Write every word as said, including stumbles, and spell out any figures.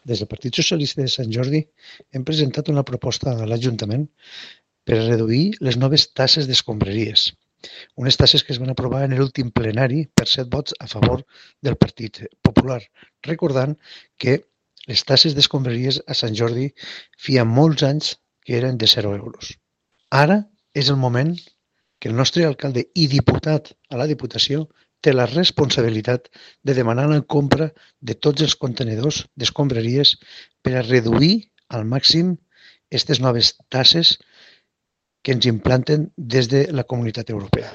Des del Partit Socialista de Sant Jordi hem presentat una proposta a l'Ajuntament per a reduir les noves taxes d'escombraries, unes taxes que es van aprovar en l'últim plenari per set vots a favor del Partit Popular, recordant que les taxes d'escombraries a Sant Jordi feia molts anys que eren de zero euros. Ara és el moment que el nostre alcalde i diputat a la Diputació té la responsabilitat de demanar la compra de tots els contenidors d'escombraries per a reduir al màxim aquestes noves taxes que ens implanten des de la Comunitat Europea.